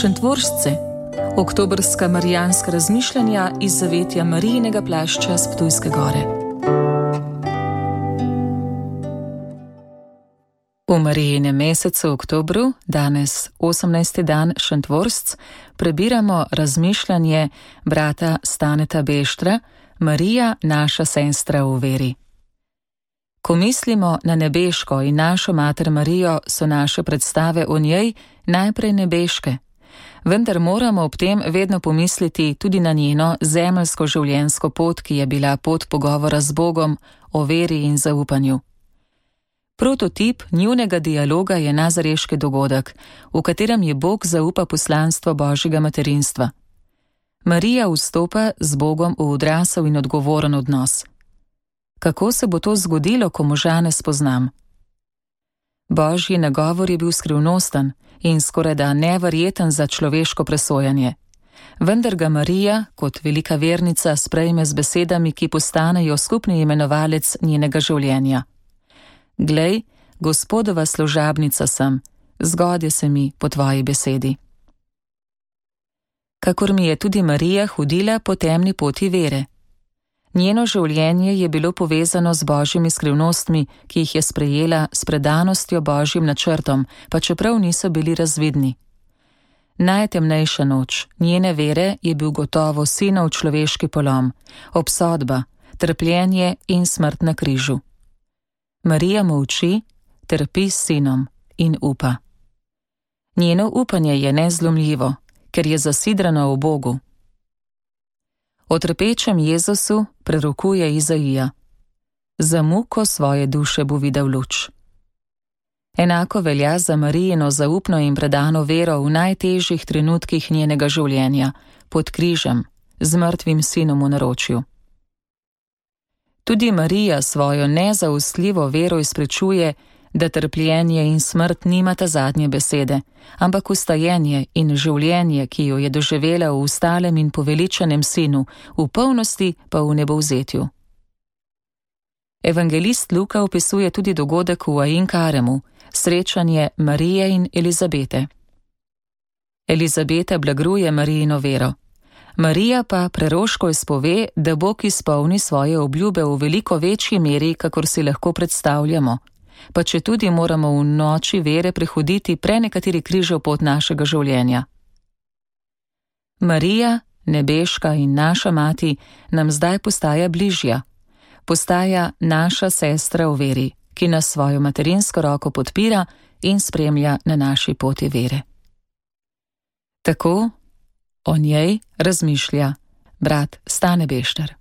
Šentvoržce, oktobrska marijanska razmišljanja iz zavetja Marijinega plašča s Ptujske gore. V Marijinem mesecu oktobru, danes 18. dan Šentvoržc, prebiramo razmišljanje brata Staneta Beštra, Marija, naša sestra v veri. Ko mislimo na nebeško in našo mater Marijo, so naše predstave o njej najprej nebeške, vendar moramo ob tem vedno pomisliti tudi na njeno zemeljsko življenjsko pot, ki je bila pot pogovora z Bogom o veri in zaupanju. Prototip njunega dialoga je nazareški dogodek, v katerem je Bog zaupa poslanstvo Božjega materinstva. Marija vstopa z Bogom v odrasel in odgovoren odnos. Kako se bo to zgodilo, ko moža ne spoznam? Božji nagovor je bil skrivnosten in skorajda neverjeten za človeško presojanje. Vendar ga Marija, kot velika vernica, sprejme z besedami, ki postanejo skupni imenovalec njenega življenja. Glej, Gospodova služabnica sem, zgodi se mi po tvoji besedi. Kakor mi je tudi Marija hodila po temni poti vere. Njeno življenje je bilo povezano z Božjimi skrivnostmi, ki jih je sprejela s predanostjo Božjim načrtom, pa čeprav niso bili razvidni. Najtemnejša noč njene vere je bil gotovo sinov človeški polom, obsodba, trpljenje in smrt na križu. Marija molči, trpi s sinom in upa. Njeno upanje je nezlomljivo, ker je zasidrano v Bogu. O trpečem Jezusu prerokuje Izaija: za muko svoje duše bo videl luč. Enako velja za Marijino zaupno in predano vero v najtežjih trenutkih njenega življenja, pod križem, z mrtvim sinom v naročju. Tudi Marija svojo nezausljivo vero izpričuje, da trpljenje in smrt nimata zadnje besede, ampak vstajenje in življenje, ki jo je doživela v ustalem in poveličanem sinu, v polnosti pa v nebovzetju. Evangelist Luka opisuje tudi dogodek v Ain Karemu, srečanje Marije in Elizabete. Elizabeta blagruje Marijino vero. Marija pa preroško izpove, da Bog izpolni svoje obljube v veliko večji meri, kakor si lahko predstavljamo, pa če tudi moramo v noči vere prehoditi prenekateri križev pot našega življenja. Marija, nebeška in naša mati, nam zdaj postaja bližja, postaja naša sestra v veri, ki nas svojo materinsko roko podpira in spremlja na naši poti vere. Tako o njej razmišlja brat Stane Bešter.